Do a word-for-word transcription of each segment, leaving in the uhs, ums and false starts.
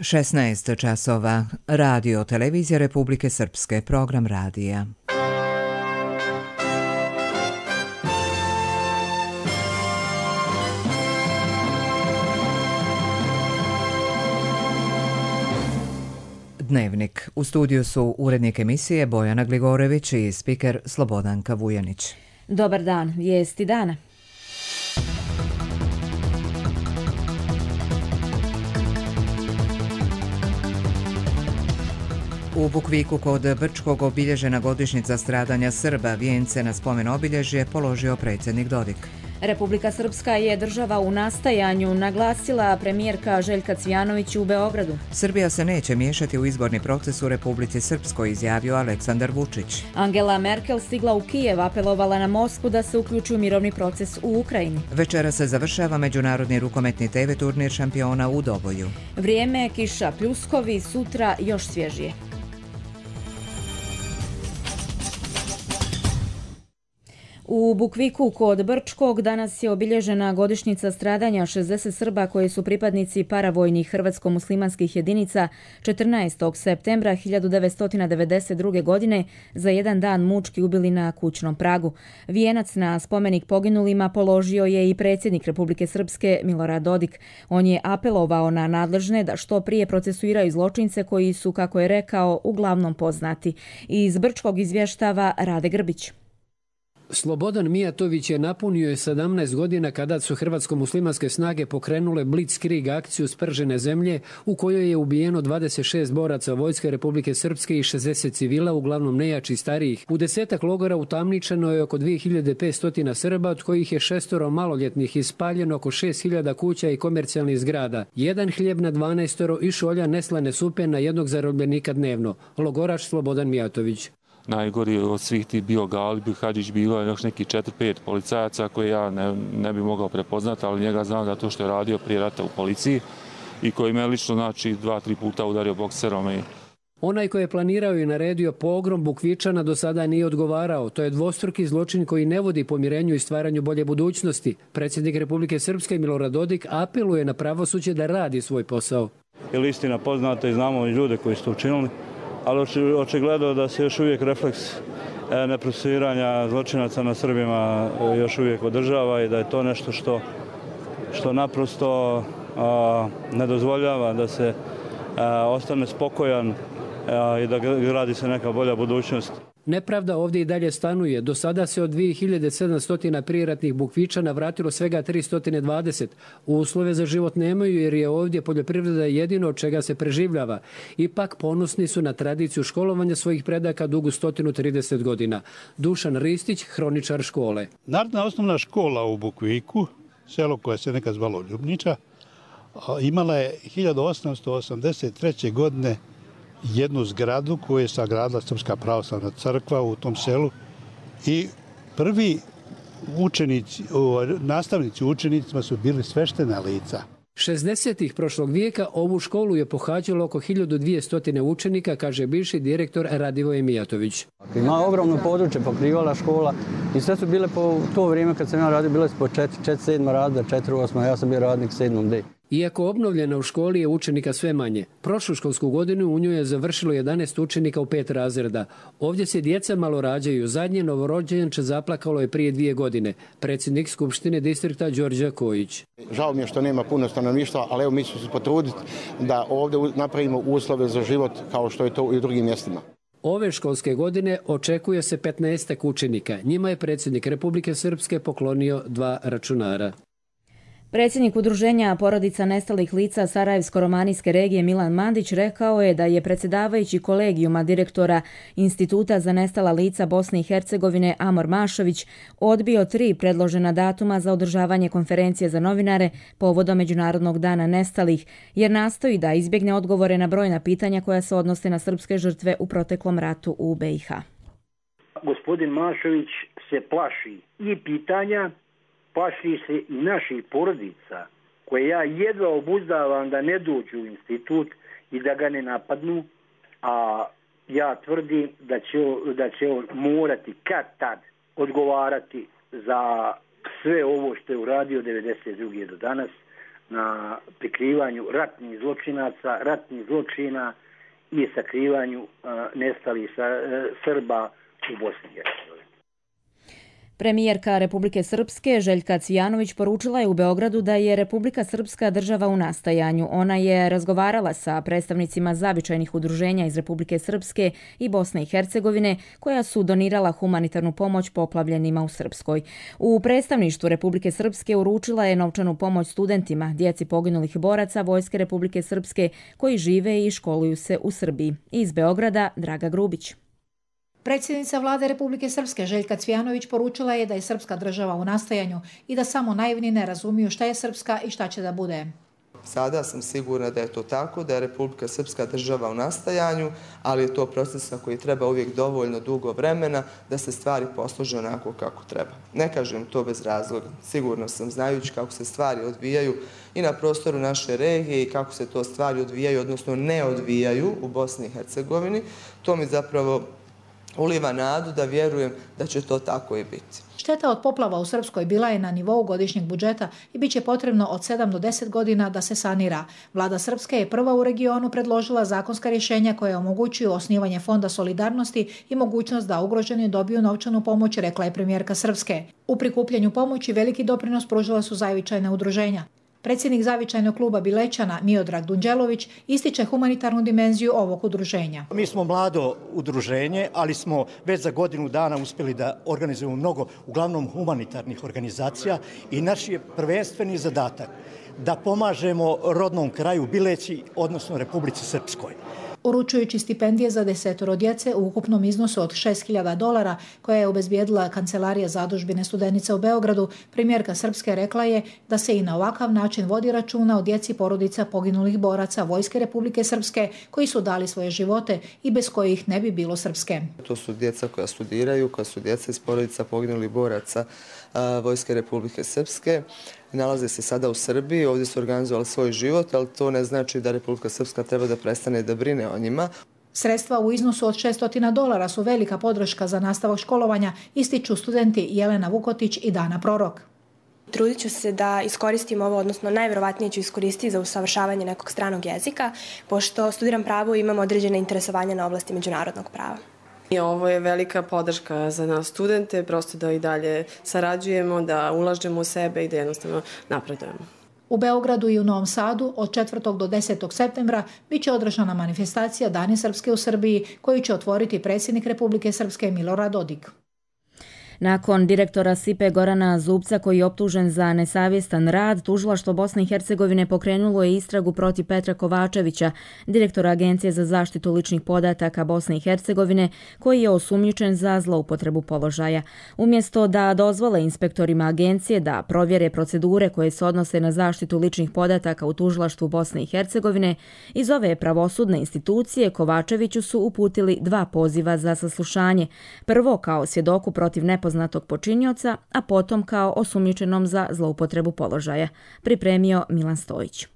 šesnaest časova. Radio Televizija Republike Srpske. Program radija. Dnevnik. U studiju su urednik emisije Bojana Gligorević i spiker Slobodanka Vujanić. Dobar dan, vijesti dana. U Bukviku kod Brčkog obilježena godišnjica stradanja Srba. Vijence na spomen obilježje položio predsjednik Dodik. Republika Srpska je država u nastajanju, naglasila premijerka Željka Cvijanović u Beogradu. Srbija se neće miješati u izborni proces u Republici Srpskoj, izjavio Aleksandar Vučić. Angela Merkel stigla u Kijev, apelovala na Moskvu da se uključi u mirovni proces u Ukrajini. Večera se završava međunarodni rukometni te ve turnir šampiona u Doboju. Vrijeme, kiša, pljuskovi, sutra još svježije. U Bukviku kod Brčkog danas je obilježena godišnjica stradanja šezdeset Srba koji su pripadnici paravojnih hrvatsko-muslimanskih jedinica četrnaestog septembra hiljadu devetsto devedeset druge. godine za jedan dan mučki ubili na kućnom pragu. Vijenac na spomenik poginulima položio je i predsjednik Republike Srpske Milorad Dodik. On je apelovao na nadležne da što prije procesuiraju zločince koji su, kako je rekao, uglavnom poznati. Iz Brčkog izvještava Rade Grbić. Slobodan Mijatović je napunio sedamnaest godina kada su hrvatsko-muslimanske snage pokrenule Blitzkrieg akciju Spržene zemlje u kojoj je ubijeno dvadeset šest boraca Vojske Republike Srpske i šezdeset civila, uglavnom nejači starijih. U desetak logora utamničeno je oko dvije hiljade petsto Srba, od kojih je šestoro maloljetnih, ispaljeno oko šest hiljada kuća i komercijalnih zgrada. Jedan hljeb na dvanaestoro i šolja neslane supe na jednog zarobljenika dnevno. Logoraš Slobodan Mijatović. Najgori od svih ti bio Galib Hadžić, bilo je još neki četiri pet policajaca koje ja ne, ne bi mogao prepoznati, ali njega znam da to što je radio prije rata u policiji i koji me lično znači dva, tri puta udario bokserom. I... Onaj koji je planirao i naredio pogrom Bukvičana do sada nije odgovarao. To je dvostruki zločin koji ne vodi pomirenju i stvaranju bolje budućnosti. Predsjednik Republike Srpske Milorad Dodik apeluje na pravosuđe da radi svoj posao. Je li istina poznata i znamo i ljude koji su to učinili, ali očigledno da se još uvijek refleks neprocesuiranja zločinaca na Srbima još uvijek održava i da je to nešto što, što naprosto a, ne dozvoljava da se a, ostane spokojan a, i da gradi se neka bolja budućnost. Nepravda ovdje i dalje stanuje. Do sada se od dvije hiljade sedamsto prijeratnih Bukvičana vratilo svega tristo dvadeset. Uslove za život nemaju jer je ovdje poljoprivreda jedino od čega se preživljava. Ipak ponosni su na tradiciju školovanja svojih predaka dugu sto trideset godina. Dušan Ristić, hroničar škole. Narodna osnovna škola u Bukviku, selo koje se nekad zvalo Ljubniča, imala je hiljadu osamsto osamdeset treće. godine jednu zgradu koju je sagradila Srpska pravoslavna crkva u tom selu i prvi učenici, nastavnici učenicima su bili sveštena lica. šezdesetih prošlog vijeka ovu školu je pohađalo oko hiljadu dvjesto učenika, kaže bivši direktor Radivoje Mijatović. Ima ogromno područje, pokrivala škola i sve su bile po to vrijeme kad sam ja radio, bile su po četiri sedma razreda, četiri osma, ja sam bio radnik sedmom D. Iako obnovljena u školi je učenika sve manje. Prošlu školsku godinu u njoj je završilo jedanaest učenika u pet razreda. Ovdje se djeca malo rađaju. Zadnje novorođenče zaplakalo je prije dvije godine. Predsjednik Skupštine distrikta Đorđe Kojić. Žao mi je što nema puno stanovništva, ali evo mi ćemo se potruditi da ovdje napravimo uslove za život kao što je to i u drugim mjestima. Ove školske godine očekuje se petnaestak učenika. Njima je predsjednik Republike Srpske poklonio dva računara. Predsjednik Udruženja porodica nestalih lica Sarajevsko-romanijske regije Milan Mandić rekao je da je predsjedavajući kolegijuma direktora Instituta za nestala lica Bosne i Hercegovine Amor Mašović odbio tri predložena datuma za održavanje konferencije za novinare povodom Međunarodnog dana nestalih, jer nastoji da izbjegne odgovore na brojna pitanja koja se odnose na srpske žrtve u proteklom ratu u be i ha. Gospodin Mašović se plaši i pitanja, plaši se i naših porodica, koje ja jedva obuzdavam da ne dođu u institut i da ga ne napadnu, a ja tvrdim da će, da će on morati kad tad odgovarati za sve ovo što je uradio devedeset druge do danas na prikrivanju ratnih zločinaca, ratnih zločina i sakrivanju nestalih Srba u Bosni i Hercegovini. Premijerka Republike Srpske Željka Cvijanović poručila je u Beogradu da je Republika Srpska država u nastajanju. Ona je razgovarala sa predstavnicima zavičajnih udruženja iz Republike Srpske i Bosne i Hercegovine koja su donirala humanitarnu pomoć poplavljenima u Srpskoj. U predstavništvu Republike Srpske uručila je novčanu pomoć studentima, djeci poginulih boraca Vojske Republike Srpske koji žive i školuju se u Srbiji. Iz Beograda Draga Grubić. Predsjednica vlade Republike Srpske Željka Cvijanović poručila je da je srpska država u nastajanju i da samo naivni ne razumiju šta je srpska i šta će da bude. Sada sam sigurna da je to tako, da je Republika Srpska država u nastajanju, ali je to proces koji treba uvijek dovoljno dugo vremena da se stvari poslože onako kako treba. Ne kažem to bez razloga. Sigurno sam, znajući kako se stvari odvijaju i na prostoru naše regije i kako se to stvari odvijaju, odnosno ne odvijaju u Bosni i Hercegovini, to mi zapravo uliva nadu da vjerujem da će to tako i biti. Šteta od poplava u Srpskoj bila je na nivou godišnjeg budžeta i bit će potrebno od sedam do deset godina da se sanira. Vlada Srpske je prva u regionu predložila zakonska rješenja koje omogućuju osnivanje Fonda solidarnosti i mogućnost da ugroženi dobiju novčanu pomoć, rekla je premijerka Srpske. U prikupljanju pomoći veliki doprinos pružila su zavičajna udruženja. Predsjednik zavičajnog kluba Bilećana Miodrag Dunđelović ističe humanitarnu dimenziju ovog udruženja. Mi smo mlado udruženje, ali smo već za godinu dana uspjeli da organizujemo mnogo, uglavnom humanitarnih organizacija i naš je prvenstveni zadatak da pomažemo rodnom kraju Bileći, odnosno Republici Srpskoj. Uručujući stipendije za desetoro djece u ukupnom iznosu od šest hiljada dolara koje je obezbijedila Kancelarija zadužbine studenica u Beogradu, premijerka Srpske rekla je da se i na ovakav način vodi računa o djeci porodica poginulih boraca Vojske Republike Srpske koji su dali svoje živote i bez kojih ne bi bilo Srpske. To su djeca koja studiraju, koja su djeca iz porodica poginulih boraca Vojske Republike Srpske. Nalaze se sada u Srbiji, ovdje su organizovali svoj život, ali to ne znači da Republika Srpska treba da prestane da brine o njima. Sredstva u iznosu od šeststo dolara su velika podrška za nastavak školovanja, ističu studenti Jelena Vukotić i Dana Prorok. Trudit ću se da iskoristim ovo, odnosno najvjerovatnije ću iskoristiti za usavršavanje nekog stranog jezika, pošto studiram pravo i imam određene interesovanja na oblasti međunarodnog prava. Ovo je velika podrška za nas studente, prosto da i dalje sarađujemo, da ulažemo u sebe i da jednostavno napredujemo. U Beogradu i u Novom Sadu od četvrtog do desetog septembra bit će održana manifestacija Dani Srpske u Srbiji koju će otvoriti predsjednik Republike Srpske Milorad Dodik. Nakon direktora S I P E Gorana Zubca koji je optužen za nesavjestan rad, tužilaštvo Bosne i Hercegovine pokrenulo je istragu protiv Petra Kovačevića, direktora Agencije za zaštitu ličnih podataka Bosne i Hercegovine, koji je osumnjičen za zloupotrebu položaja. Umjesto da dozvole inspektorima agencije da provjere procedure koje se odnose na zaštitu ličnih podataka u tužilaštvu Bosne i Hercegovine, iz ove pravosudne institucije Kovačeviću su uputili dva poziva za saslušanje. Prvo kao svjedoku protiv nepoznatog poznatog počinioca, a potom kao osumnjičenom za zloupotrebu položaja, pripremio Milan Stojić.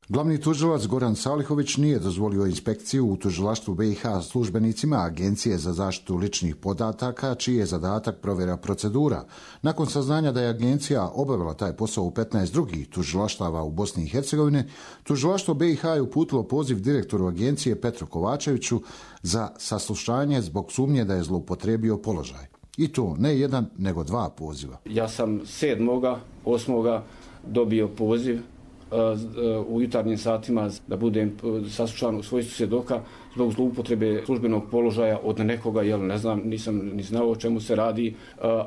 Glavni tužilac Goran Salihović nije dozvolio inspekciju u tužilaštvu B i H službenicima Agencije za zaštitu ličnih podataka, čiji je zadatak provjera procedura. Nakon saznanja da je agencija obavila taj posao u petnaest drugih tužilaštava u Bosni i Hercegovini, tužilaštvo B i H je uputilo poziv direktoru agencije Petru Kovačeviću za saslušanje zbog sumnje da je zloupotrebio položaj. I to ne jedan, nego dva poziva. Ja sam sedmoga, osmoga dobio poziv u jutarnjim satima da budem saslušan u svojstvu svjedoka zbog zloupotrebe službenog položaja od nekoga, jel ne znam, nisam ni znao o čemu se radi.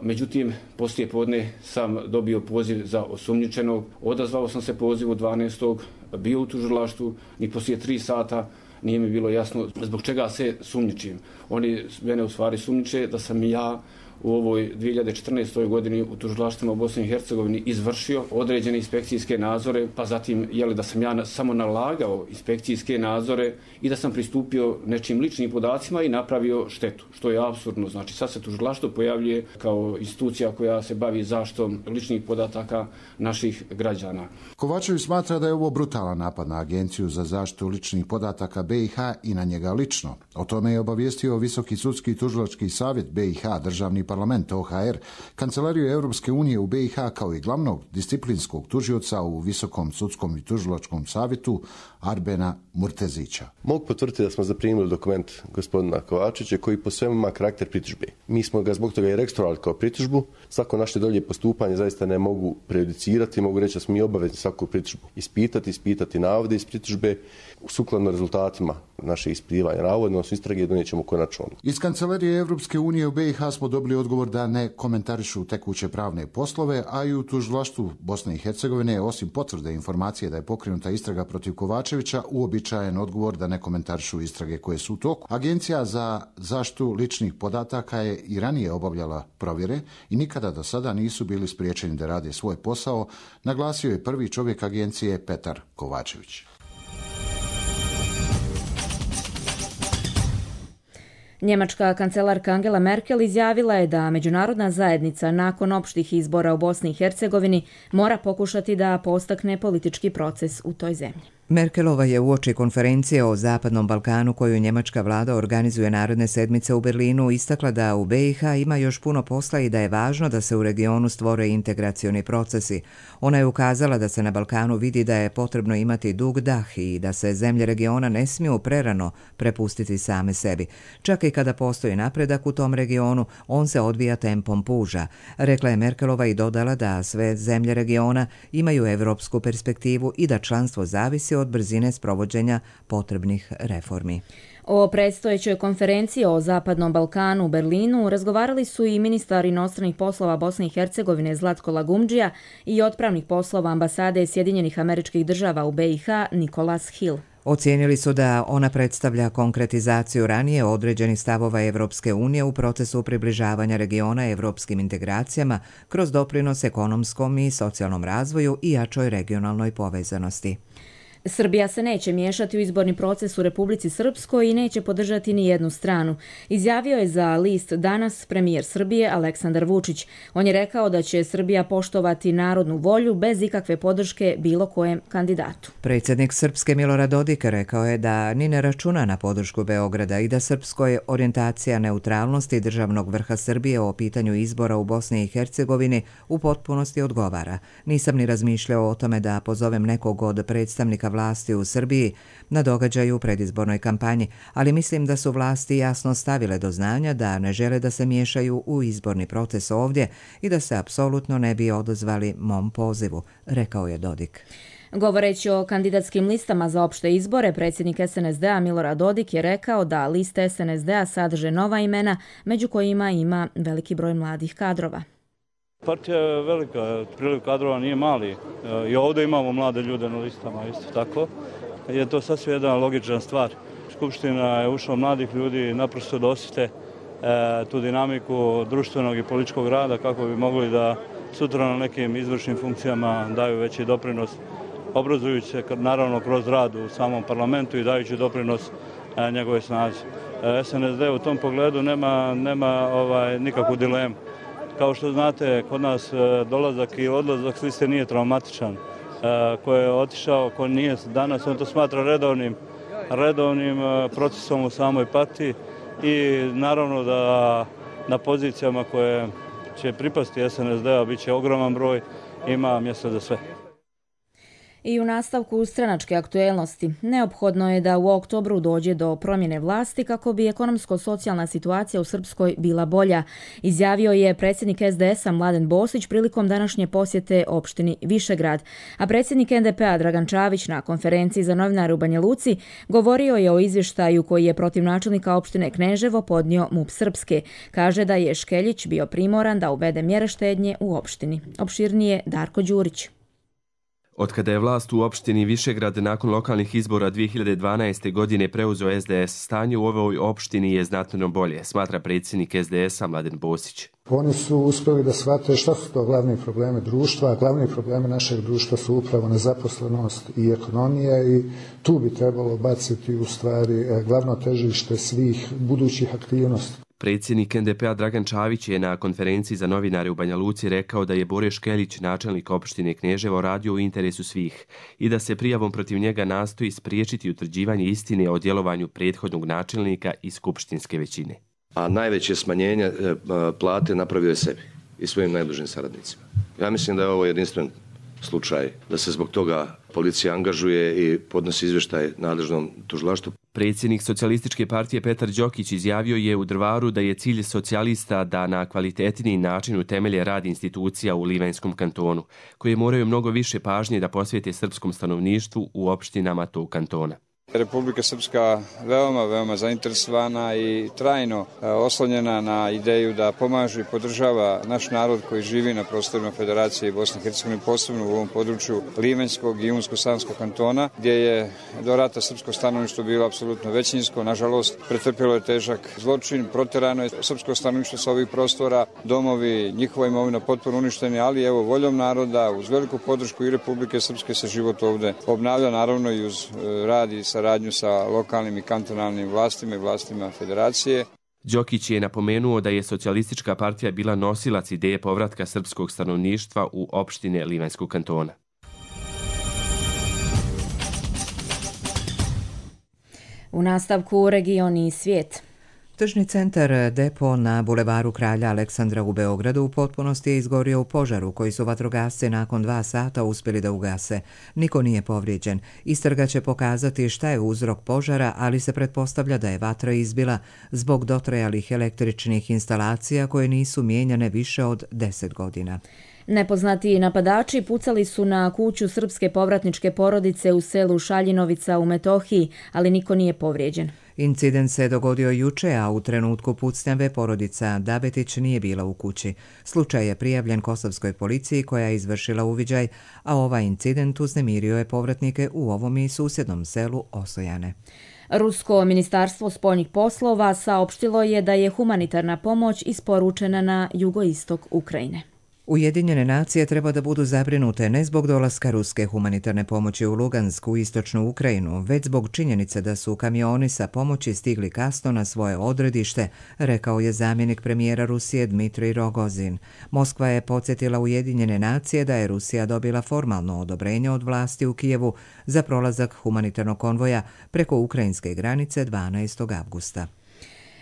Međutim, poslije podne sam dobio poziv za osumnjičenog. Odazvao sam se pozivu dvanaestog bio u tužilaštvu, ni poslije tri sata nije mi bilo jasno zbog čega se sumnjičim. Oni mene u stvari sumnjiče da sam ja u ovoj dvije hiljade četrnaestoj godini u tužilaštvima u Bosni i Hercegovini izvršio određene inspekcijske nadzore, pa zatim jeli da sam ja samo nalagao inspekcijske nadzore i da sam pristupio nečim ličnim podacima i napravio štetu, što je apsurdno. Znači sad se tužilaštvo pojavljuje kao institucija koja se bavi zaštitom ličnih podataka naših građana. Kovačević smatra da je ovo brutalan napad na Agenciju za zaštitu ličnih podataka B i H i na njega lično. O tome je obavijestio Visoki sudski tužilački savjet B i H, državni parlament O H R, Kancelariju Europske unije u B i H kao i glavnog disciplinskog tužioca u Visokom sudskom i tužilačkom savjetu Arbena Murtezića. Mogu potvrditi da smo zaprimili dokument gospodina Kovačevića koji po svemu ima karakter pritužbe. Mi smo ga zbog toga i registrovali kao pritužbu. Svako naše dolje postupanje zaista ne mogu prejudicirati, mogu reći da smo mi obavezni svaku pritužbu ispitati, ispitati navode iz pritužbe sukladno rezultatima naše ispitivanja navoda, odnosno istrage donijet ćemo konačno. Iz Kancelarije Europske unije u B i H smo dobili odgovor da ne komentarišu tekuće pravne poslove, a i u tužilaštvu Bosne i Hercegovine, osim potvrde informacije da je pokrenuta istraga protiv Kovačevića, uobičajen odgovor da ne komentarišu istrage koje su u toku. Agencija za zaštitu ličnih podataka je i ranije obavljala provjere i nikada do sada nisu bili spriječeni da rade svoj posao, naglasio je prvi čovjek agencije Petar Kovačević. Njemačka kancelarka Angela Merkel izjavila je da međunarodna zajednica nakon opštih izbora u Bosni i Hercegovini mora pokušati da postakne politički proces u toj zemlji. Merkelova je uoči konferencije o Zapadnom Balkanu koju njemačka vlada organizuje naredne sedmice u Berlinu istakla da u B i H ima još puno posla i da je važno da se u regionu stvore integracioni procesi. Ona je ukazala da se na Balkanu vidi da je potrebno imati dug dah i da se zemlje regiona ne smiju prerano prepustiti same sebi. Čak i kada postoji napredak u tom regionu, on se odvija tempom puža. Rekla je Merkelova i dodala da sve zemlje regiona imaju evropsku perspektivu i da članstvo zavisi od brzine sprovođenja potrebnih reformi. O predstojećoj konferenciji o Zapadnom Balkanu u Berlinu razgovarali su i ministar inostranih poslova Bosne i Hercegovine Zlatko Lagumdžija i otpravnik poslova ambasade Sjedinjenih Američkih Država u B i H Nikolas Hill. Ocijenili su da ona predstavlja konkretizaciju ranije određenih stavova Evropske unije u procesu približavanja regiona evropskim integracijama kroz doprinos ekonomskom i socijalnom razvoju i jačoj regionalnoj povezanosti. Srbija se neće miješati u izborni proces u Republici Srpskoj i neće podržati ni jednu stranu. Izjavio je za list Danas premijer Srbije Aleksandar Vučić. On je rekao da će Srbija poštovati narodnu volju bez ikakve podrške bilo kojem kandidatu. Predsjednik Srpske Milorad Dodik rekao je da ni ne računa na podršku Beograda i da Srpskoj orijentacija neutralnosti državnog vrha Srbije o pitanju izbora u Bosni i Hercegovini u potpunosti odgovara. Nisam ni razmišljao o tome da pozovem nekog od predstavnika vlasti u Srbiji na događaju u predizbornoj kampanji, ali mislim da su vlasti jasno stavile do znanja da ne žele da se miješaju u izborni proces ovdje i da se apsolutno ne bi odazvali mom pozivu, rekao je Dodik. Govoreći o kandidatskim listama za opšte izbore, predsjednik S N S D-a Milorad Dodik je rekao da liste S N S D-a sadrže nova imena, među kojima ima veliki broj mladih kadrova. Partija je velika, priliv kadrova nije mali. I ovdje imamo mlade ljude na listama, isto tako. Je to sasvim jedna logična stvar. Skupština je ušla mladih ljudi naprosto da osjete tu dinamiku društvenog i političkog rada kako bi mogli da sutra na nekim izvršnim funkcijama daju veći doprinos, obrazujući se naravno kroz rad u samom parlamentu i dajući doprinos njegove snazi. S N S D u tom pogledu nema, nema ovaj, nikakvu dilemu. Kao što znate, kod nas dolazak i odlazak s liste nije traumatičan. Ko je otišao, ko nije danas, on to smatra redovnim, redovnim procesom u samoj partiji i naravno da na pozicijama koje će pripasti S N S D-a bit će ogroman broj, ima mjesta za sve. I u nastavku stranačke aktuelnosti, neophodno je da u oktobru dođe do promjene vlasti kako bi ekonomsko-socijalna situacija u Srpskoj bila bolja, izjavio je predsjednik S D S-a Mladen Bosić prilikom današnje posjete opštini Višegrad, a predsjednik N D P-a Dragan Čavić na konferenciji za novinare u Banja Luci govorio je o izvještaju koji je protiv načelnika opštine Kneževo podnio M U P Srpske. Kaže da je Škeljić bio primoran da uvede mjere štednje u opštini. Opširnije Darko Đurić. Otkada je vlast u opštini Višegrad nakon lokalnih izbora dvije hiljade dvanaeste. godine preuzeo S D S, stanje u ovoj opštini je znatno bolje, smatra predsjednik S D S-a Mladen Bosić. Oni su uspjeli da shvate šta su to glavni problemi društva, a glavni problemi našeg društva su upravo nezaposlenost i ekonomija i tu bi trebalo baciti u stvari glavno težište svih budućih aktivnosti. Predsjednik N D P-a Dragan Čavić je na konferenciji za novinare u Banja Luci rekao da je Bore Škeljić, načelnik opštine Kneževo, radio u interesu svih i da se prijavom protiv njega nastoji spriječiti utvrđivanje istine o djelovanju prethodnog načelnika i skupštinske većine. a najveće smanjenje plate napravio je sebi i svojim najbližim saradnicima. Ja mislim da je ovo jedinstven slučaj, da se zbog toga policija angažuje i podnosi izvještaj nadležnom tužilaštvu. Predsjednik Socijalističke partije Petar Đokić izjavio je u Drvaru da je cilj socijalista da na kvalitetniji način utemelje rad institucija u Livanjskom kantonu, koje moraju mnogo više pažnje da posvijete srpskom stanovništvu u opštinama tog kantona. Republika Srpska veoma, veoma zainteresovana i trajno oslonjena na ideju da pomaže i podržava naš narod koji živi na prostorima Federacije Bosne i Hercegovine, posebno u ovom području Livanjskog i Unsko-Sanskog kantona, gdje je do rata srpsko stanovništvo bilo apsolutno većinsko. Nažalost, pretrpjelo je težak zločin, proterano je srpsko stanovništvo sa ovih prostora, domovi, njihova imovina potpuno uništeni, ali evo voljom naroda, uz veliku podršku i Republike Srpske se život ovde obnavlja, naravno i uz rad i saradnju sa lokalnim i kantonalnim vlastima i vlastima federacije. Đokić je napomenuo da je Socijalistička partija bila nosilac ideje povratka srpskog stanovništva u opštine Livanjskog kantona. U nastavku regioni i svijet. Tržni centar Depo na bulevaru Kralja Aleksandra u Beogradu u potpunosti je izgorio u požaru koji su vatrogasci nakon dva sata uspjeli da ugase. Niko nije povrijeđen. Istraga će pokazati šta je uzrok požara, ali se pretpostavlja da je vatra izbila zbog dotrajalih električnih instalacija koje nisu mijenjane više od deset godina. Nepoznati napadači pucali su na kuću srpske povratničke porodice u selu Šaljinovica u Metohiji, ali niko nije povrijeđen. Incident se dogodio juče, a u trenutku pucnjave porodica Dabetić nije bila u kući. Slučaj je prijavljen kosovskoj policiji koja je izvršila uviđaj, a ovaj incident uznemirio je povratnike u ovom i susjednom selu Osojane. Rusko ministarstvo spoljnih poslova saopštilo je da je humanitarna pomoć isporučena na jugoistok Ukrajine. Ujedinjene nacije treba da budu zabrinute ne zbog dolaska ruske humanitarne pomoći u Lugansku u istočnu Ukrajinu, već zbog činjenice da su kamioni sa pomoći stigli kasno na svoje odredište, rekao je zamjenik premijera Rusije Dmitrij Rogozin. Moskva je podsjetila Ujedinjene nacije da je Rusija dobila formalno odobrenje od vlasti u Kijevu za prolazak humanitarnog konvoja preko ukrajinske granice dvanaestog avgusta.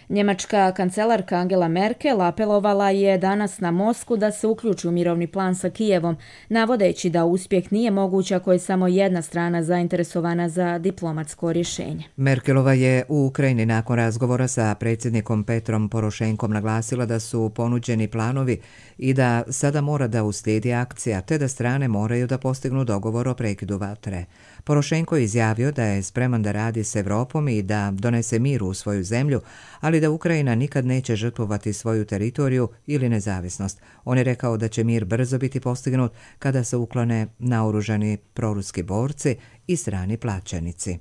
Njemačka kancelarka Angela Merkel apelovala je danas na Moskvu da se uključi u mirovni plan sa Kijevom, navodeći da uspjeh nije moguć ako je samo jedna strana zainteresovana za diplomatsko rješenje. Merkelova je u Ukrajini nakon razgovora sa predsjednikom Petrom Porošenkom naglasila da su ponuđeni planovi i da sada mora da uslijedi akcija, te da strane moraju da postignu dogovor o prekidu vatre. Porošenko je izjavio da je spreman da radi s Evropom i da donese mir u svoju zemlju, ali da Ukrajina nikad neće žrtvovati svoju teritoriju ili nezavisnost. On je rekao da će mir brzo biti postignut kada se uklone naoružani proruski borci i strani plaćenici.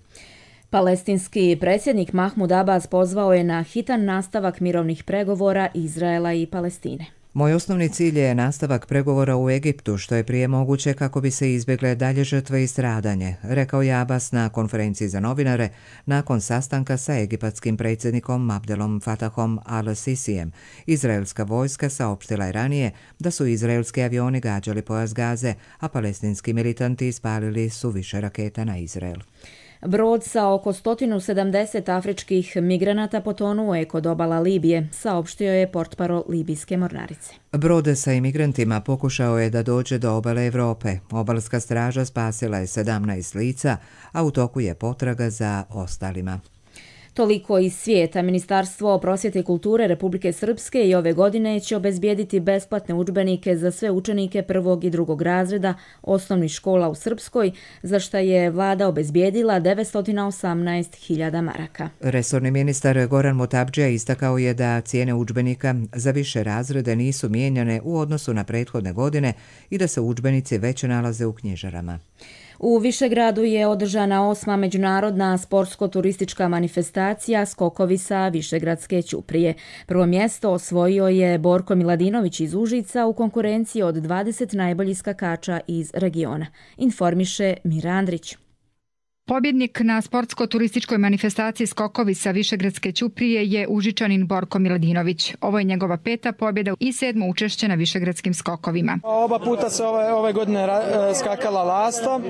Palestinski predsjednik Mahmud Abbas pozvao je na hitan nastavak mirovnih pregovora Izraela i Palestine. Moj osnovni cilj je nastavak pregovora u Egiptu, što je prije moguće kako bi se izbjegle dalje žrtve i stradanje, rekao je Abbas na konferenciji za novinare nakon sastanka sa egipatskim predsjednikom Abdelom Fatahom al-Sisijem. Izraelska vojska saopštila je ranije da su izraelski avioni gađali pojas Gaze, a palestinski militanti ispalili su više raketa na Izrael. Brod sa oko sto sedamdeset afričkih migranata potonuo je kod obala Libije, saopštio je portparol libijske mornarice. Brod sa imigrantima pokušao je da dođe do obale Evrope. Obalska straža spasila je sedamnaest lica, a u toku je potraga za ostalima. Toliko iz svijeta. Ministarstvo prosvjete i kulture Republike Srpske i ove godine će obezbijediti besplatne udžbenike za sve učenike prvog i drugog razreda osnovnih škola u Srpskoj, za što je vlada obezbijedila devetsto osamnaest hiljada maraka. Resorni ministar Goran Motabdžija istakao je da cijene udžbenika za više razrede nisu mijenjane u odnosu na prethodne godine i da se udžbenici već nalaze u knjižarama. U Višegradu je održana osma međunarodna sportsko-turistička manifestacija Skokovi sa Višegradske ćuprije. Prvo mjesto osvojio je Borko Miladinović iz Užica u konkurenciji od dvadeset najboljih skakača iz regiona, informiše Mira Andrić. Pobjednik na sportsko-turističkoj manifestaciji Skokovi sa Višegradske ćuprije je Užičanin Borko Miladinović. Ovo je njegova peta pobjeda i sedmo učešće na Višegradskim skokovima. Oba puta se ove, ove godine skakala lasta.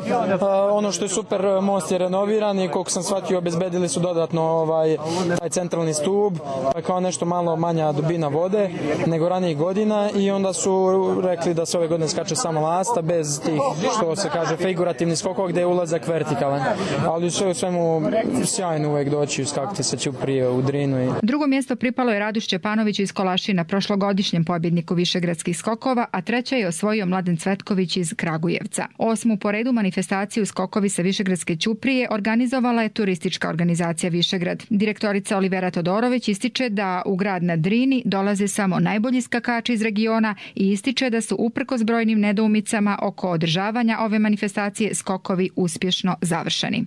Ono što je super, most je renoviran i koliko sam shvatio obezbedili su dodatno ovaj, taj centralni stub, pa kao nešto malo manja dubina vode nego ranijih godina i onda su rekli da se ove godine skače samo lasta bez tih, što se kaže, figurativnih skokova gdje je ulazak vertikalan. Ali sve u svemu sjajno uvijek doći skakati sa ćuprije u Drinu. Drugo mjesto pripalo je Radu Šćepanoviću iz Kolašina, prošlogodišnjem pobjedniku Višegradskih skokova, a treća je osvojio Mladen Cvetković iz Kragujevca. Osmu po redu manifestaciju Skokovi sa Višegradske ćuprije organizovala je turistička organizacija Višegrad. Direktorica Olivera Todorović ističe da u grad na Drini dolaze samo najbolji skakači iz regiona i ističe da su uprkos brojnim nedoumicama oko održavanja ove manifestacije skokovi uspješno završeni.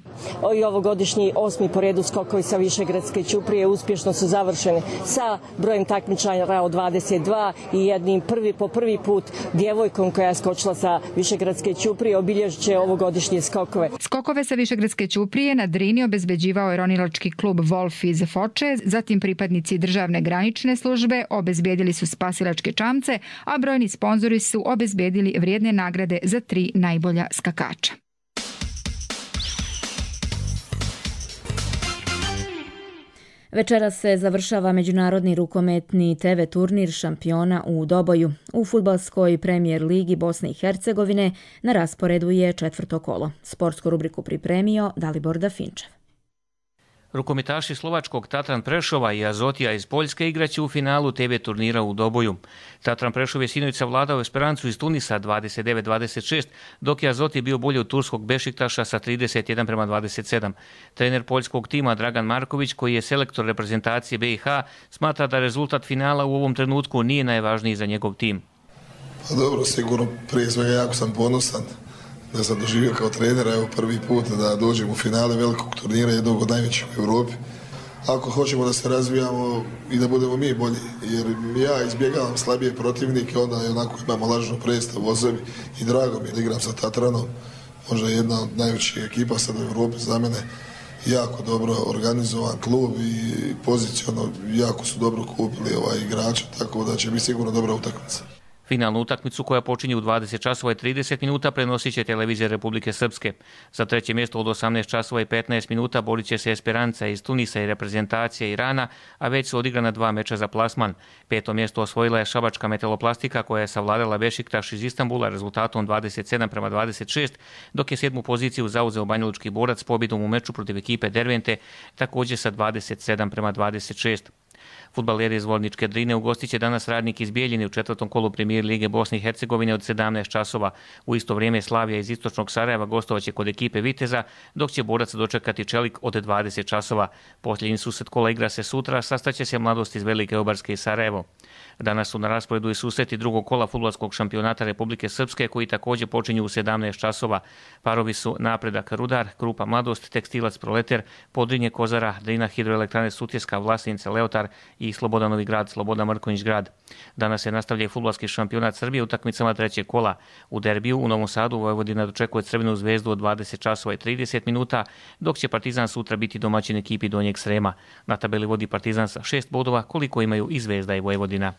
I ovogodišnji osmi po redu skokovi sa Višegradske ćuprije uspješno su završeni sa brojem takmičara od dvadeset dva i jednim prvi po prvi put djevojkom koja je skočila sa Višegradske ćuprije obilježit će ovogodišnje skokove. Skokove sa Višegradske ćuprije na Drini obezbeđivao je ronilački klub Wolf iz Foče, zatim pripadnici državne granične službe obezbedili su spasilačke čamce, a brojni sponzori su obezbedili vrijedne nagrade za tri najbolja skakača. Večeras se završava međunarodni rukometni te ve turnir šampiona u Doboju. U fudbalskoj premijer ligi Bosne i Hercegovine na rasporedu je četvrto kolo. Sportsku rubriku pripremio Dalibor Dafinčev. Rukometaši slovačkog Tatran Prešova i Azotija iz Poljske igraće u finalu te ve turnira u Doboju. Tatran Prešov je sinoć savladao Esperancu iz Tunisa dvadeset devet dvadeset šest, dok je Azoti bio bolji od turskog Bešiktaša sa trideset jedan prema dvadeset sedam. Trener poljskog tima Dragan Marković, koji je selektor reprezentacije be i ha, smatra da rezultat finala u ovom trenutku nije najvažniji za njegov tim. Pa dobro, sigurno prije svega jako sam ponosan da sam doživio kao trener, evo prvi put da dođem u finale velikog turnira, jednog od najvećih u Europi. Ako hoćemo da se razvijamo i da budemo mi bolji, jer ja izbjegavam slabije protivnike, onda onako imamo lažnu predstavu o sebi i drago mi je da igram sa Tatranom, možda jedna od najvećih ekipa sad u Europi za mene, jako dobro organizovan klub i pozicionno jako su dobro kupili ovaj igrača, tako da će biti sigurno dobra utakmica. Finalnu utakmicu koja počinje u dvadeset časova i trideset minuta prenosit će televizija Republike Srpske. Za treće mjesto od osamnaest časova i petnaest minuta borit će se Esperanca iz Tunisa i reprezentacija Irana, a već su odigrana dva meča za plasman. Peto mjesto osvojila je šabačka Metaloplastika koja je savladala Bešiktaš iz Istanbula rezultatom dvadeset sedam prema dvadeset šest, dok je sedmu poziciju zauzeo banjalučki Borac s pobjedom u meču protiv ekipe Dervente, također sa dvadeset sedam prema dvadeset šest. Fudbaleri iz Vorničke Drine ugostit će danas Radnik iz Bijeljine u četvrtom kolu premijer lige Bosne i Hercegovine od sedamnaest časova. U isto vrijeme Slavija iz istočnog Sarajeva gostovaće kod ekipe Viteza, dok će Borac dočekati Čelik od dvadeset časova. Posljednji susret kola igra se sutra, sastaće se Mladost iz Velike Obarske i Sarajevo. Danas su na rasporedu i susreti drugog kola fudbalskog šampionata Republike Srpske koji također počinju u sedamnaest časova. Parovi su Napredak Rudar, Krupa Mladost, Tekstilac Proleter, Podrinje Kozara, Drina Hidroelektrane Sutjeska, Vlasnica Leotar i Sloboda Novi Grad, Sloboda Mrkonjić Grad. Danas se nastavlja i fudbalski šampionat Srbije utakmicama trećeg kola. U derbiju u Novom Sadu Vojvodina dočekuje Crvenu zvezdu od dvadeset časova i trideset minuta, dok će Partizan sutra biti domaćin ekipi Donjeg Srema. Na tabeli vodi Partizan sa šest bodova, koliko imaju i Zvezda i Vojvodina.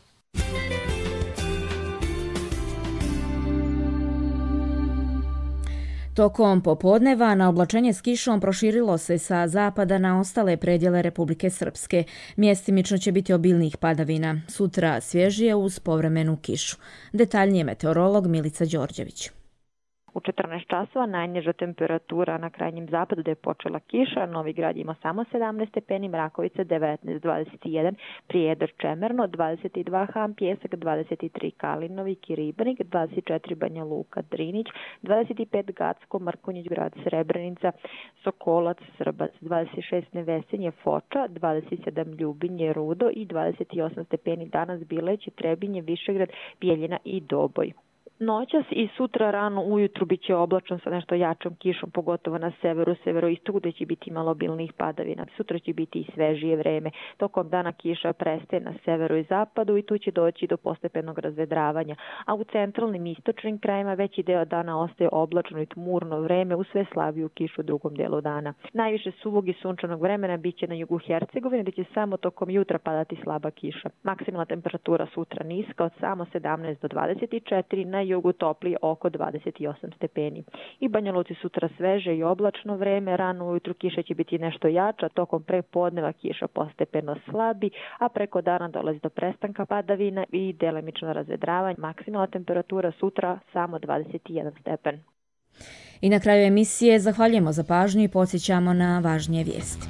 Tokom popodneva na oblačenje s kišom proširilo se sa zapada na ostale predjele Republike Srpske. Mjestimično će biti obilnih padavina. Sutra svježije uz povremenu kišu. Detaljnije meteorolog Milica Đorđević. U četrnaest časova najniža temperatura na krajnjem zapadu da je počela kiša. Novi Grad ima samo sedamnaest stepeni, Mrakovica devetnaest, dvadeset jedan, Prijedor Čemerno, dvadeset dva, Han Pjesak, dvadeset tri, Kalinovik i Ribnik, dvadeset četiri, Banja Luka, Drinić, dvadeset pet, Gacko, Mrkonjić Grad, Srebrenica, Sokolac, Srbac, dvadeset šest, Nevesenje, Foča, dvadeset sedam, Ljubinje, Rudo i dvadeset osam stepeni danas Bileć, Trebinje, Višegrad, Bijeljina i Doboj. Noćas i sutra rano ujutru bit će oblačno sa nešto jačom kišom, pogotovo na severu, severoistoku, gde će biti malo obilnih padavina. Sutra će biti i svežije vreme. Tokom dana kiša prestaje na severu i zapadu i tu će doći do postepenog razvedravanja. A u centralnim i istočnim krajima veći deo dana ostaje oblačno i tmurno vreme uz sve slabiju kišu u drugom delu dana. Najviše suvog i sunčanog vremena bit će na jugu Hercegovine, gde će samo tokom jutra padati slaba kiša. Maksimalna temperatura sutra niska od samo sedamnaest do dvadeset četiri, na jugu toplije oko dvadeset osam stepeni. I Banja Luci sutra sveže i oblačno vreme, rano ujutru kiša će biti nešto jača, tokom prepodneva kiša postepeno slabi, a preko dana dolazi do prestanka padavina i delimično razvedravanje. Maksimalna temperatura sutra samo dvadeset jedan stepen. I na kraju emisije zahvaljujemo za pažnju i podsjećamo na važnije vijesti.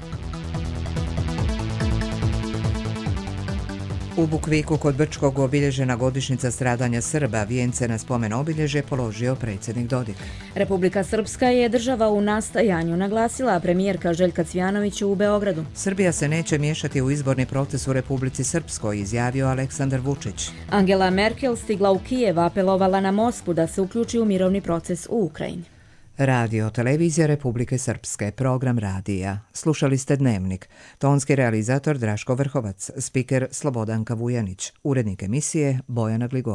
U Bukviku kod Brčkog obilježena godišnjica stradanja Srba, vijence na spomen obilježje položio predsjednik Dodik. Republika Srpska je država u nastajanju, naglasila premijerka Željka Cvijanović u Beogradu. Srbija se neće miješati u izborni proces u Republici Srpskoj, izjavio Aleksandar Vučić. Angela Merkel stigla u Kijev, apelovala na Moskvu da se uključi u mirovni proces u Ukrajini. Radio Televizija Republike Srpske, program radija. Slušali ste Dnevnik. Tonski realizator Draško Vrhovac, spiker Slobodanka Vujanić, urednik emisije Bojana Gligo.